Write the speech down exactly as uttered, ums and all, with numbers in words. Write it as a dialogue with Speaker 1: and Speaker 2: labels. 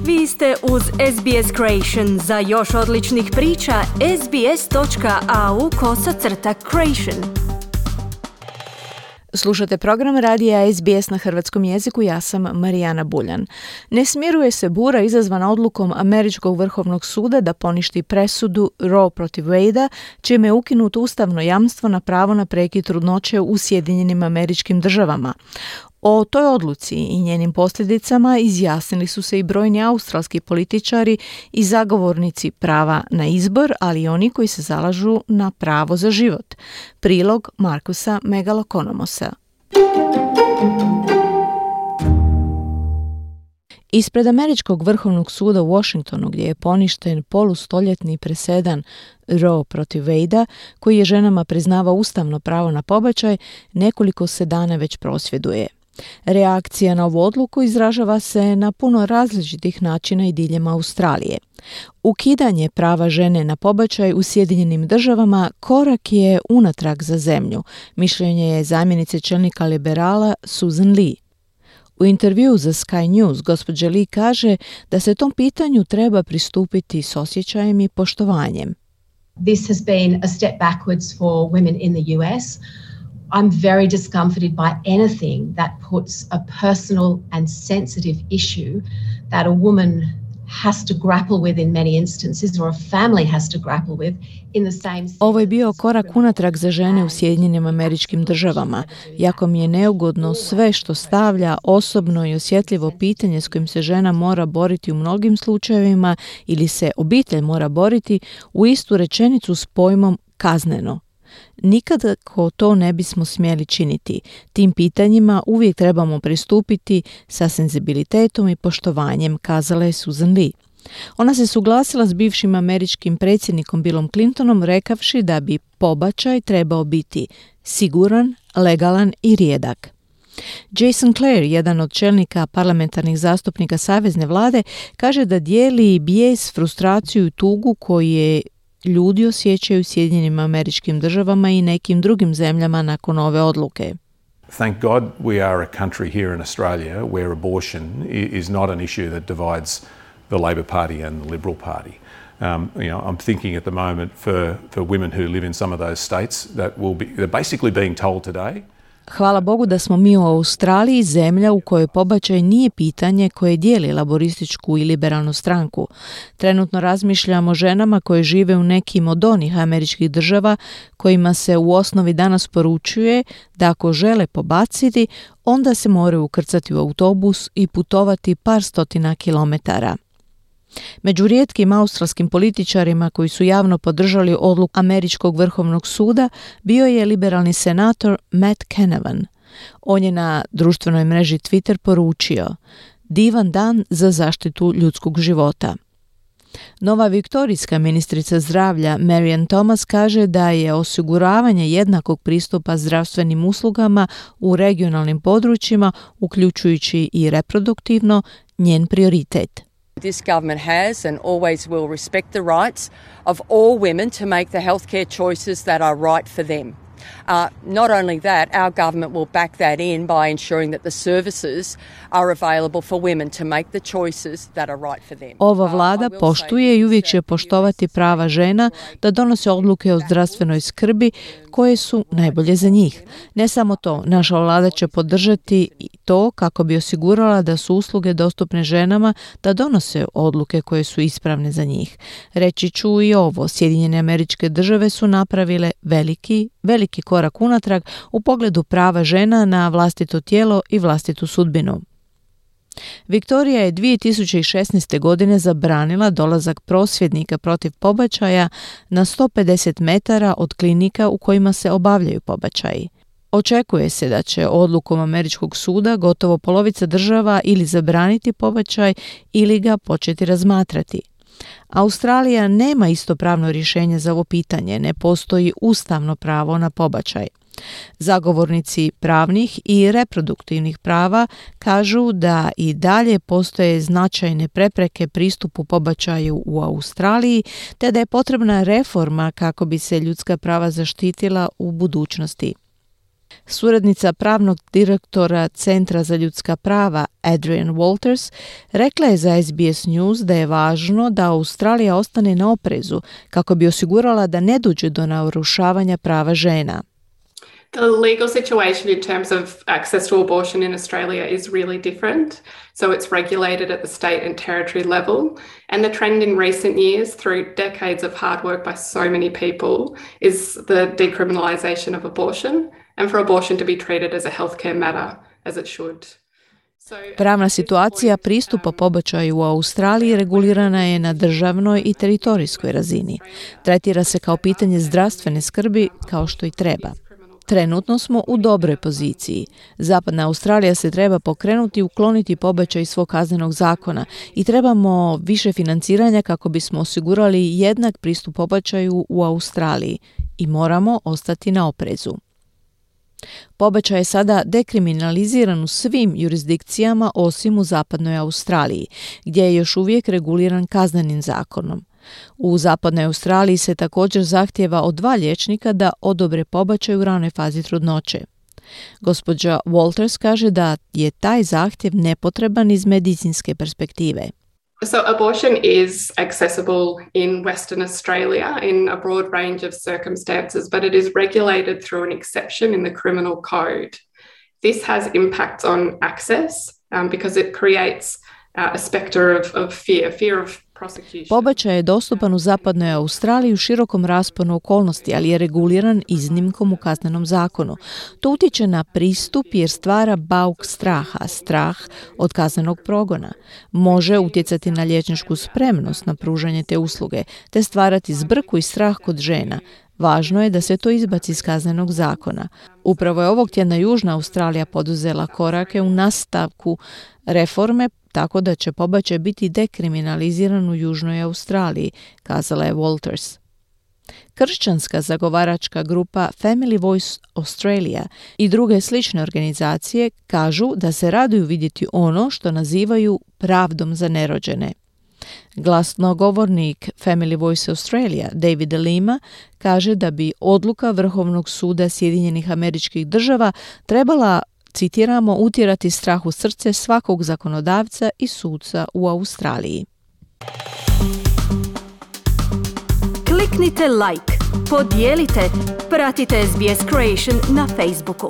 Speaker 1: Vi ste uz S B S Creation. Za još odličnih priča, sbs.au kosacrta creation.
Speaker 2: Slušate program radija S B S na hrvatskom jeziku, ja sam Marijana Buljan. Ne smiruje se bura izazvana odlukom Američkog vrhovnog suda da poništi presudu Roe protiv Wade-a, čime je ukinuto ustavno jamstvo na pravo na prekid trudnoće u Sjedinjenim Američkim Državama. O toj odluci i njenim posljedicama izjasnili su se i brojni australski političari i zagovornici prava na izbor, ali i oni koji se zalažu na pravo za život. Prilog Markusa Megalokonomosa. Ispred Američkog vrhovnog suda u Washingtonu, gdje je poništen polustoljetni presedan Roe protiv Wade-a, koji je ženama priznava ustavno pravo na pobačaj, nekoliko se dana već prosvjeduje. Reakcija na ovu odluku izražava se na puno različitih načina i diljem Australije. Ukidanje prava žene na pobačaj u Sjedinjenim Državama korak je unatrag za zemlju, mišljenje je zamjenice čelnika liberala Susan Lee. U intervjuu za Sky News gospođa Lee kaže da se tom pitanju treba pristupiti s osjećajem i poštovanjem.
Speaker 3: This has been a step backwards for women in the U S. I'm very discomforted by anything that puts a personal and sensitive issue that a woman has to grapple with in many instances, or a family has to grapple with in the same.
Speaker 2: Ovo je bio korak unatrag za žene u Sjedinjenim Američkim Državama. Jako mi je neugodno sve što stavlja osobno i osjetljivo pitanje s kojim se žena mora boriti u mnogim slučajevima ili se obitelj mora boriti u istu rečenicu s pojmom kazneno. Nikako to ne bismo smjeli činiti. Tim pitanjima uvijek trebamo pristupiti sa senzibilitetom i poštovanjem, kazala je Susan Lee. Ona se suglasila s bivšim američkim predsjednikom Billom Clintonom rekavši da bi pobačaj trebao biti siguran, legalan i rijedak. Jason Clare, jedan od čelnika parlamentarnih zastupnika savezne vlade, kaže da dijeli bijes, frustraciju i tugu koje ljudi osjećaju u Sjedinjenim Američkim Državama i nekim drugim zemljama nakon ove odluke.
Speaker 4: Thank God we are a country here in Australia where abortion is not an issue that divides the Labor Party and the Liberal Party. Um, you know, I'm thinking at the moment for, for women who live in some of those states that will be, they're basically being told today.
Speaker 2: Hvala Bogu da smo mi u Australiji zemlja u kojoj pobačaj nije pitanje koje dijeli laborističku i liberalnu stranku. Trenutno razmišljamo o ženama koje žive u nekim od onih američkih država kojima se u osnovi danas poručuje da ako žele pobaciti, onda se moraju ukrcati u autobus i putovati par stotina kilometara. Među rijetkim australskim političarima koji su javno podržali odluku Američkog vrhovnog suda bio je liberalni senator Matt Canavan. On je na društvenoj mreži Twitter poručio: divan dan za zaštitu ljudskog života. Nova viktorijska ministrica zdravlja Marian Thomas kaže da je osiguravanje jednakog pristupa zdravstvenim uslugama u regionalnim područjima, uključujući i reproduktivno, njen prioritet.
Speaker 5: This government has and always will respect the rights of all women to make the healthcare choices that are right for them. Uh, not only that, our government will back that in by ensuring that the services are available for women to make the choices that are right for them.
Speaker 2: Ova vlada poštuje i uvijek će poštovati prava žena da donose odluke o zdravstvenoj skrbi koje su najbolje za njih. Ne samo to, naša vlada će podržati i to kako bi osigurala da su usluge dostupne ženama da donose odluke koje su ispravne za njih. Reći ću i ovo, Sjedinjene Američke Države su napravile veliki, veliki korak unatrag u pogledu prava žena na vlastito tijelo i vlastitu sudbinu. Viktorija je dvije tisuće šesnaeste. godine zabranila dolazak prosvjednika protiv pobačaja na sto pedeset metara od klinika u kojima se obavljaju pobačaji. Očekuje se da će odlukom Američkog suda gotovo polovica država ili zabraniti pobačaj ili ga početi razmatrati. Australija nema isto pravno rješenje za ovo pitanje, ne postoji ustavno pravo na pobačaj. Zagovornici pravnih i reproduktivnih prava kažu da i dalje postoje značajne prepreke pristupu pobačaju u Australiji, te da je potrebna reforma kako bi se ljudska prava zaštitila u budućnosti. Suradnica pravnog direktora Centra za ljudska prava Adrian Walters rekla je za S B S News da je važno da Australija ostane na oprezu kako bi osigurala da ne dođe do narušavanja prava žena.
Speaker 6: The legal situation in terms of access to abortion in Australia is really different. So it's regulated at the state and territory level. And the trend in recent years, through decades of hard work by so many people, is the decriminalisation of abortion and for abortion to be treated as a healthcare matter, as it should.
Speaker 2: Pravna situacija pristupa pobačaju u Australiji regulirana je na državnoj i teritorijskoj razini. Tretira se kao pitanje zdravstvene skrbi kao što i treba. Trenutno smo u dobroj poziciji. Zapadna Australija se treba pokrenuti i ukloniti pobačaj iz svog kaznenog zakona i trebamo više financiranja kako bismo osigurali jednak pristup pobačaju u Australiji i moramo ostati na oprezu. Pobačaj je sada dekriminaliziran u svim jurisdikcijama osim u zapadnoj Australiji, gdje je još uvijek reguliran kaznenim zakonom. U zapadnoj Australiji se također zahtijeva od dva liječnika da odobre pobačaj u ranoj fazi trudnoće. Gospođa Walters kaže da je taj zahtjev nepotreban iz medicinske perspektive.
Speaker 6: So abortion is accessible in Western Australia in a broad range of circumstances, but it is regulated through an exception in the criminal code. This has impacts on access um, because it creates uh, a spectre of, of fear, fear of
Speaker 2: Pobačaj je dostupan u zapadnoj Australiji u širokom rasponu okolnosti, ali je reguliran iznimkom u kaznenom zakonu. To utječe na pristup jer stvara bauk straha, strah od kaznenog progona. Može utjecati na liječničku spremnost na pružanje te usluge, te stvarati zbrku i strah kod žena. Važno je da se to izbaci iz kaznenog zakona. Upravo je ovog tjedna Južna Australija poduzela korake u nastavku reforme tako da će pobačaj biti dekriminaliziran u Južnoj Australiji, kazala je Walters. Kršćanska zagovaračka grupa Family Voice Australia i druge slične organizacije kažu da se raduju vidjeti ono što nazivaju pravdom za nerođene. Glasnogovornik Family Voice Australia David Lima kaže da bi odluka Vrhovnog suda Sjedinjenih Američkih Država trebala, citiramo, utjerati strah u srce svakog zakonodavca i suca u Australiji.
Speaker 1: Kliknite like, podijelite, pratite S B S Creation na Facebooku.